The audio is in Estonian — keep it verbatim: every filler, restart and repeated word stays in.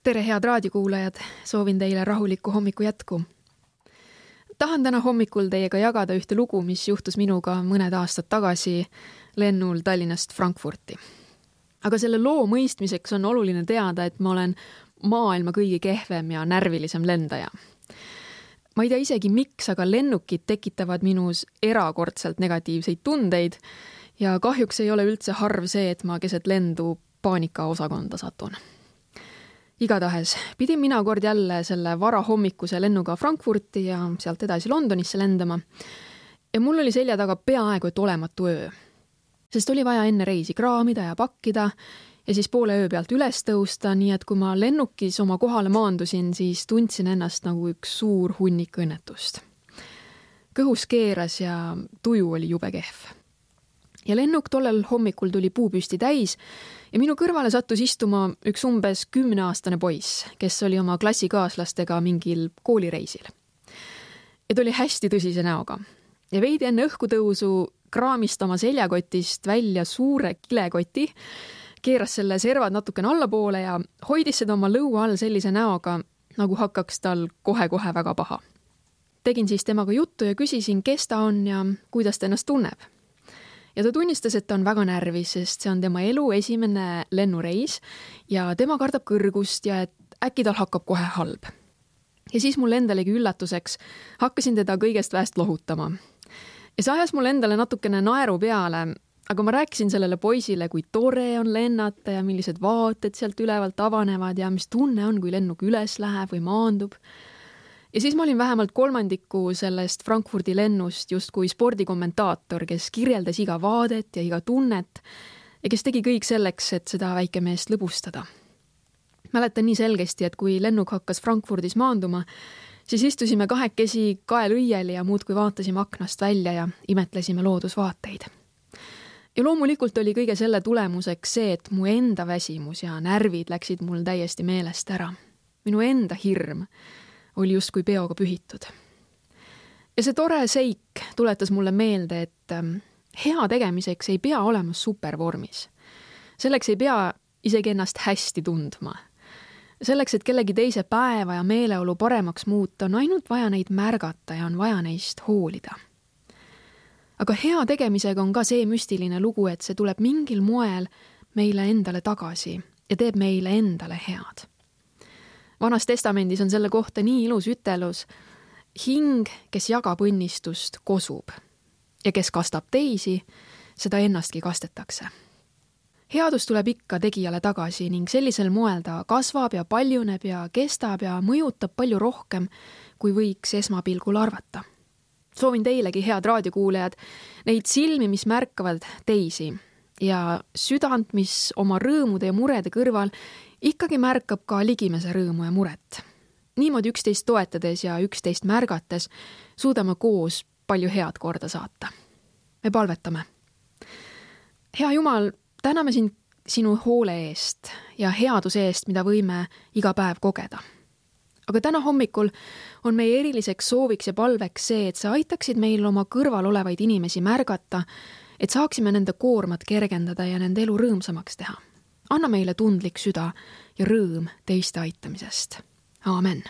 Tere, head raadiokuulajad, soovin teile rahulikku hommiku jätku. Tahan täna hommikul teiega jagada ühte lugu, mis juhtus minuga mõned aastad tagasi lennul Tallinnast Frankfurti. Aga selle loo mõistmiseks on oluline teada, et ma olen maailma kõige kehvem ja närvilisem lendaja. Ma ei tea isegi miks, aga lennukid tekitavad minus erakordselt negatiivseid tundeid ja kahjuks ei ole üldse harv see, et ma keset lendu paanika osakonda satun. Igatahes pidin mina kord jälle selle varahommikuse lennuga Frankfurti ja sealt edasi Londonisse lendama. Ja mul oli selja taga peaaegu et olematu öö. Sest oli vaja enne reisi kraamida ja pakkida ja siis poole öö pealt üles tõusta, nii et kui ma lennukis oma kohale maandusin, siis tundsin ennast nagu üks suur hunnik õnnetust. Kõhus keeras ja tuju oli jube kehv. Ja lennuk tollel hommikul tuli puupüsti täis ja minu kõrvale sattus istuma üks umbes kümneaastane poiss, kes oli oma klassikaaslastega mingil koolireisil. Ja ta oli hästi tõsise näoga. Ja veidi enne õhkutõusu kraamist oma seljakotist välja suure kilekoti, keeras selle servad natukene allapoole ja hoidis seda oma lõua all sellise näoga, nagu hakkaks tal kohe-kohe väga paha. Tegin siis temaga juttu ja küsisin, kes ta on ja kuidas ta ennast tunneb. Ja ta tunnistas, et ta on väga närvis, sest see on tema elu esimene lennureis ja tema kardab kõrgust ja et äkki tal hakkab kohe halb. Ja siis mul endalegi üllatuseks hakkasin teda kõigest väest lohutama. Ja see ajas mul endale natukene naeru peale, aga ma rääkisin sellele poisile, kui tore on lennata ja millised vaated sealt ülevalt avanevad ja mis tunne on, kui lennuk üles läheb või maandub. Ja siis ma olin vähemalt kolmandiku sellest Frankfurdi lennust justkui spordikommentaator, kes kirjeldas iga vaadet ja iga tunnet ja kes tegi kõik selleks, et seda väikemeest lõbustada. Mäletan nii selgesti, et kui lennuk hakkas Frankfurdis maanduma, siis istusime kahekesi kaelõiel ja muudkui vaatasime aknast välja ja imetlesime loodusvaateid. Ja loomulikult oli kõige selle tulemuseks see, et mu enda väsimus ja närvid läksid mul täiesti meelest ära. Minu enda hirm oli justkui peoga pühitud. Ja see tore seik tuletas mulle meelde, et hea tegemiseks ei pea olema supervormis. Selleks ei pea isegi ennast hästi tundma. Selleks, et kellegi teise päeva ja meeleolu paremaks muuta, on ainult vaja neid märgata ja on vaja neist hoolida. Aga hea tegemisega on ka see müstiline lugu, et see tuleb mingil moel meile endale tagasi ja teeb meile endale head. Vanas testamendis on selle kohta nii ilus ütelus, hing, kes jagab õnnistust, kosub ja kes kastab teisi, seda ennastki kastetakse. Headus tuleb ikka tegijale tagasi ning sellisel moel ta kasvab ja paljuneb ja kestab ja mõjutab palju rohkem, kui võiks esmapilgul arvata. Soovin teilegi, head raadiokuulejad, neid silmi, mis märkavad teisi ja südant, mis oma rõõmude ja murede kõrval ikkagi märkab ka ligimese rõõmu ja muret. Niimoodi üksteist toetades ja üksteist märgates suudame koos palju head korda saata. Me palvetame. Hea Jumal, täname sind sinu hoole eest ja headuse eest, mida võime iga päev kogeda. Aga täna hommikul on meie eriliseks sooviks ja palveks see, et sa aitaksid meil oma kõrval olevaid inimesi märgata, et saaksime nende koormat kergendada ja nende elu rõõmsamaks teha. Anna meile tundlik süda ja rõõm teiste aitamisest. Aamen.